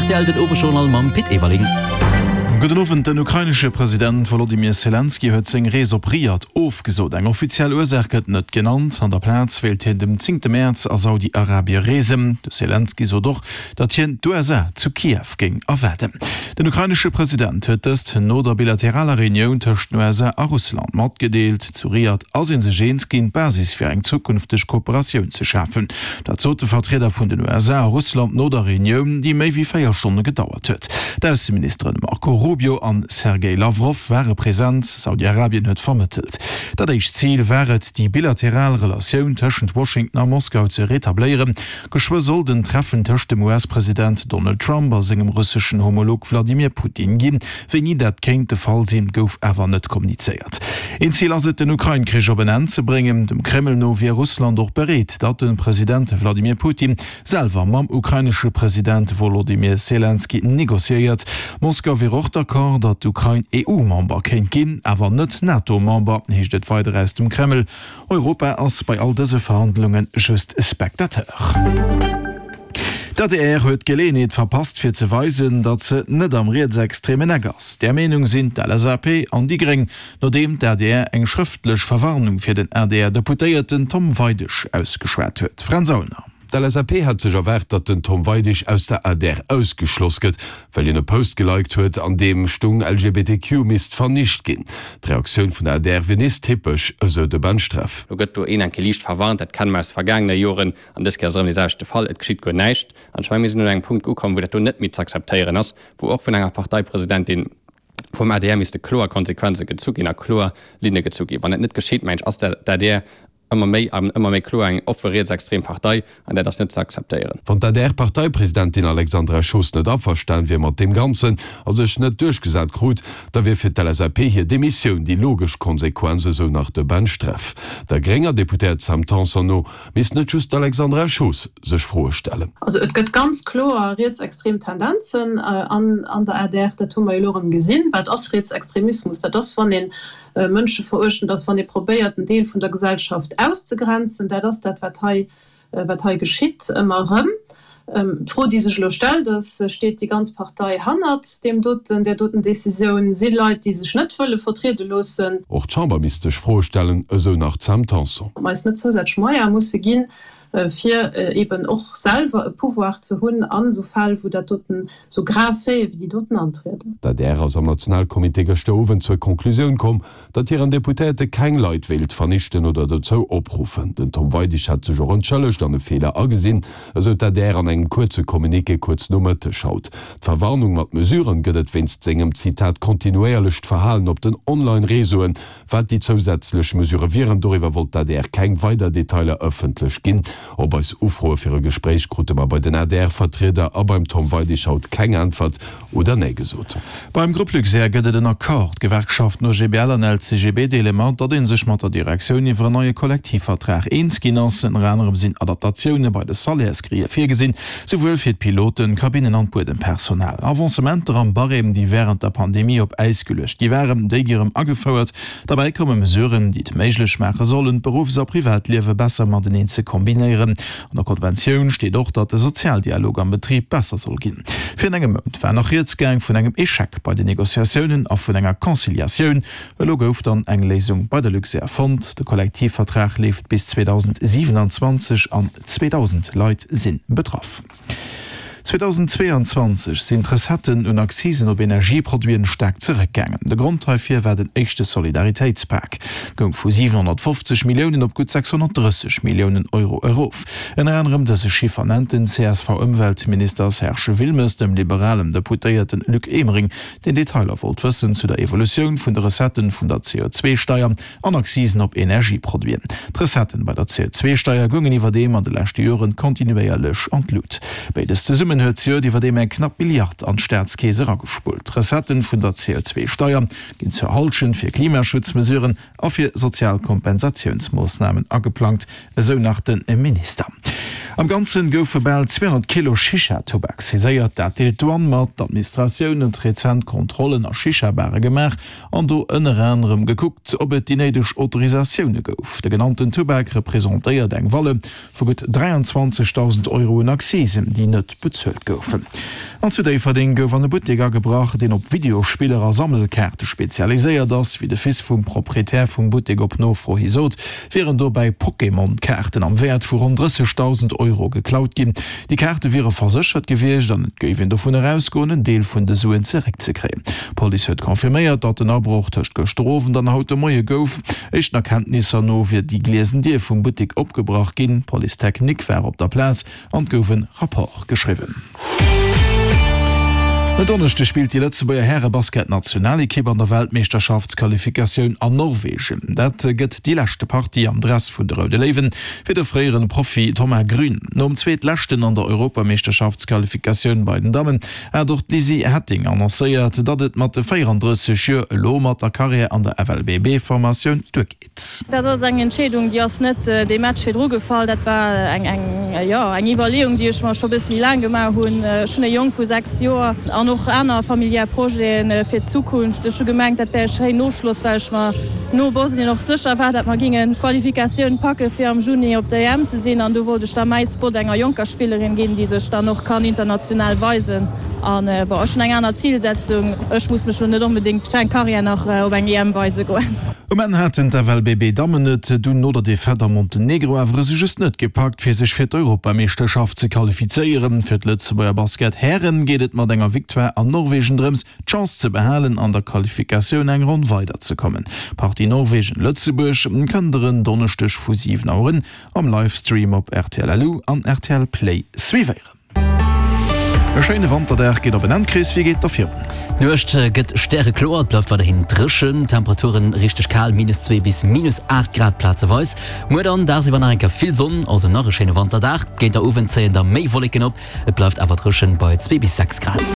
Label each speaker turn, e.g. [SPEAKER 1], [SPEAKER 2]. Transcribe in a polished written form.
[SPEAKER 1] Rtl den Owesjournal mam Pit Everling.
[SPEAKER 2] Gudden Owend. Den ukrainesche President Wolodymyr Selenskyj huet seng Rees op Riad ofgesot. Eng offiziell Ursaach gëtt net genannt. An der Plaz wéilt hien dem zéngte Mäerz a Saudi-Arabie reesen. De Selenskyj sot och, datt hien d'USA zu Kiew géing erwaarden. Den ukrainesche President huet dëst no der bilateraler Reunioun tëscht den USA a Russland matgedeelt. Zu Riad ass ee sech eens ginn, d'Basis fir eng zukünfteg Kooperatioun ze schafen. Dat sot de Vertrieder vun den USA a Russland no der Reunioun, déi méi wéi 4 Stonne gedauert huet. D'Ausseministeren Marco Rubio an Sergej Lawrow ware present. Saudi-Arabien huet vermëttelt. Dat éischt Zil war et, déi bilateral Relatioun tëschent Washington a Moskau ze retabléieren. Geschwë sollt en Treffen tëscht dem US-President Donald Trump a sengem russeschen Homolog Wladimir Putin ginn. Wéini dat kéint de Fall sinn, gouf awer net kommunizéiert. Een Zil ass et, den Ukrain-Krich op en Enn ze bréngen. Dem Kreml no wier Russland och bereet, datt de President Wladimir Putin selwer mam ukrainesche President Wolodymyr Selenskyj negociéiert. Moskau wier och d'accord, datt d'Ukrain EU-Member kéint ginn, awer net NATO-Member, heescht et weider aus dem Kreml. Europa ass bei all dëse Verhandlunge just Spectateur. D'adr huet d'Geleeënheet verpasst fir ze weisen, datt se net am rietsextremen Eck ass. Där Meenung sinn d'LSAP an déi Gréng, nodeem d'ADR eng schrëftlech Verwarnung fir den ADR-Deputéierten Tom Weidig ausgeschwat huet. Fränz Aulner.
[SPEAKER 3] D'LSAP hat sech erwaart, datt den Tom Weidig aus der adr ausgeschloss gëtt, well hien e Post geliked huet, an deem stung, LGBTQ misst vernicht ginn. D'Reaktioun vun der adr wier nees typesch, esou de Ben Streff.
[SPEAKER 4] Lo gëtt do een eng Kéier liicht verwarnt, dat kenne mer aus vergaangene Joren, an dës Kéier ass erëm dee selwechte Fall, et geschitt guer näischt. An ech mengen, mir sinn un engem Punkt ukomm, wou dat do net méi ze akzeptéieren ass, wou och vun enger Parteipresidentin vum adr misste kloer Konsequenze gezu ginn a kloer Linne gezu ginn. Wann dat net geschitt, mengen ech, ass d'ADR ëmmer méi an ëmmer méi kloer eng offe rietsextrem Partei, an dat ass net ze akzeptéieren.
[SPEAKER 3] Wann d'ADR-Parteipresidentin Alexandra Schoos net averstan wier mat deem Ganzen a sech net duerchgesat krut, da wier fir d'LSAP hir Demissioun déi logesch Konsequenz, esou nach de Ben Streff. Der grénger Deputéiert Sam Tanson no misst net just d'Alexandra Schoos sech Froe stellen.
[SPEAKER 5] Also et gëtt ganz kloer rietsextrem Tendenzen an der adr, dat hu mer jo elo erëm gesinn. Wat ass Rietsextremismus? Dat ass, wann een Mënsche veruechten, dass wann ee probéiert en Deel vun der Gesellschaft auszegrenzen, dat ass dat wat hei, wat hei geschitt, ëmmer erëm. D'Fro déi sech elo stellt ass, Steet déi ganz Partei hannert deem doten, där doten Décisioun? Si Leit déi sech net wëlle vertriede loossen?
[SPEAKER 3] Och d'Chamber misst sech Froe stellen, esou nach d'Sam Tanson.
[SPEAKER 5] Ob mer eis net zousätzlech Moyene musse ginn, fir eben och selwer e Pouvoir ze hunn an esou Fäll, wou dat doten, esou grav Faite wéi déi doten antrieden.
[SPEAKER 3] D'adr ass am Nationalcomité gëschter Owend zur Conclusioun komm, datt hiren Deputéierte keng Leit wéilt vernichten oder dozou opruffen. Den Tom Weidig hätt sech och entschëllegt an e Feeler agesinn, esou d'ADR an engem kuerze Communiqué kuerz no Mëtteg haut. D'Verwarnung mat Mesuren gëtt et wéinst sengem, Zitat, kontinuéierlecht Verhalen op den Online-Réseauen. Wat déi zousätzlech Mesurë wieren, doriwwer wollt d'ADR keng weider Detailer ëffentlech ginn. Op eis Ufroe fir e Gespréich krute mer bei den ADR-Vertrieder a beim Tom Weidig haut keng Äntwert oder Nee gesot.
[SPEAKER 2] Beim Grupp Luxair gëtt et en Accord. D'Gewerkschaften OGBL an LCGB deele mat, datt ee sech mat der Direktioun iwwer en neie Kollektivvertrag eens ginn ass. Ënner anerem sinn Adaptatioune bei de Salairsgrille virgesinn, souwuel fir d'Piloten, d'Kabinnen an d'Buedempersonal. Avancementer am Barème, déi wärend der Pandemie op Äis geluecht gi waren, déi gi rëm agefouert. Derbäi komme Mesuren, déi et méiglech maache sollen, d'Beruffs a Privatliewe besser mateneen ze kombinéieren. An der Konventioun steet och, datt de Sozialdialog am Betrib besser soll ginn. Virun engem Mount war nach rieds gaang vun engem Echec bei den Negociatiounen a vun enger Conciliatioun. Elo gouf dann eng Léisung bei der Luxair fonnt. De Kollektivvertrag leeft bis 2027 an 2.000 Leit si betraff. 2022 sinn d'Recetten un Accisen op Energieproduiten staark zeréckgaangen. De Grond heifir war den éischte Solidaritéitspak. Goung vu 750 Milliounen op gutt 630 Milliounen Euro erof. Ënner anerem dëse Chiffer nennt den CSV-Ëmweltminister Serge Wilmes dem liberalen Deputéierten Luc Emering, deen Detailer wollt wëssen zu der Evolutioun vun de Recetten vun der CO2-Steier an Accisen op Energieproduiten. D'Recetten bei der CO2-Steier goungen iwwerdeem an de leschte Joren kontinuéierlech an d'Lut. Béides zesummen huet zejoert iwwerdeem eng knapp Milliard an d'Staatskeess eragespullt. D'Recetten vun der CO2-Steier ginn zur Hallschent fir Klimaschutzmesuren a fir sozial Kompensatiounsmoossnamen ageplangt, esou nach de Minister. Am Ganzen goufe bal 200 Kilo Shisha-Tubak saiséiert. Dat deelt d'Douane mat. D'Administratioun huet rezent Kontrollen a Shisha-Bare gemaach an do ënner anerem gekuckt, ob et déi néideg Autorisatioune gouf. De genannten Tubak representéiert eng Valeur vu gutt 23.000 Euro un Accisen, déi net bezuelt. bezuelt goufen. An zu Déifferdeng gouf an e Buttek agebrach, deen op Videospiller a Sammelkaarte spezialiséiert ass. Wéi de Fils vum Proprietär vum Buttek op Nofro hi sot, wieren dobäi Pokémon-Kaarten am Wäert vu ronn 30.000 Euro geklaut ginn. Déi Kaarte wiere verséchert gewiescht an et géif een dovun erausgoen, en Deel vun de Suen zeréckzekréien. D'Police huet confirméiert, datt den Abroch tëscht gëschter Owend an haut de Moie gouf. Éischten Erkenntnisser no wier déi gliesen Dier vum Buttek opgebrach ginn. D'Police technique war op der Plaz an et gouf e Rapport geschriwwen. En Donneschde spillt déi Lëtzebuerger Häre-Basket-Nationalekipp an der Weltmeeschterschaftsqualifikatioun an Norwegen. Dat gëtt déi leschte Partie am Dress vun de Roude Léiwen fir de fréieren Profi Thomas Grün. Nom Zweetleschten an der Europameeschterschaftsqualifikatioun bei den Dammen hat och d'Lizzie Hetting annoncéiert, datt et mat 34 Joer elo mat der Karriär an der FLBB-Formatioun duergeet.
[SPEAKER 6] Dat ass eng Entscheedung, déi ass net dee Match virdru gefall. Dat war eng, eng, jo, eng Iwwerleeung, déi ech mer scho bësse méi laang gemaach hunn. Ech hunn e Jong vu 6 Joer an och aner familiär Projete fir d'Zukunft. Ech hu gemengt, dat wär e schéinen Ofschloss, well ech mer no Bosnien och sécher war, datt mer gingen d'Qualifikatioun packe fir am Juni op der EM ze sinn. An do wollt ech da mäi Spot enger jonker Spillerin ginn, déi sech dann och kann international weisen. An bon, ech hunn eng aner Zilsetzung. Ech muss mech lo net onbedéngt fir eng Karriär nach op eng EM weise goen.
[SPEAKER 2] Um Enn haten d'FLBB-Dammen et dunn no der Defaite a Montenegro awer esou just net gepackt, fir sech fir d'Europameeschterschaft ze qualifizéieren. Fir d'Lëtzebuerger Basket-Hären geet et mat enger Victoire an Norwegen drëms, d'Chance ze behalen, an der Qualifikatioun eng Ronn weiderzekommen. D'Partie Norwegen-Lëtzebuerg kënnt der en Donneschdeg vu 7 Auer un am Livestream op rtl LU an rtl Play suivéieren. E schéine Wanterdag geet op en Enn. Chris, wéi geet et da virun?
[SPEAKER 1] D'Nuecht gëtt stärekloer, et bleift weiderhin dréchen, Temperaturen richteg kal, minus 2 bis minus 8 Grad plazeweis. Muer dann dagsiwwer nach eng Kéier vill Sonn, also nach e schéine Wanterdag. Géint der Owend zéien da méi Wolleken op, et bleift awer dréchen bei 2 bis 6 Grad.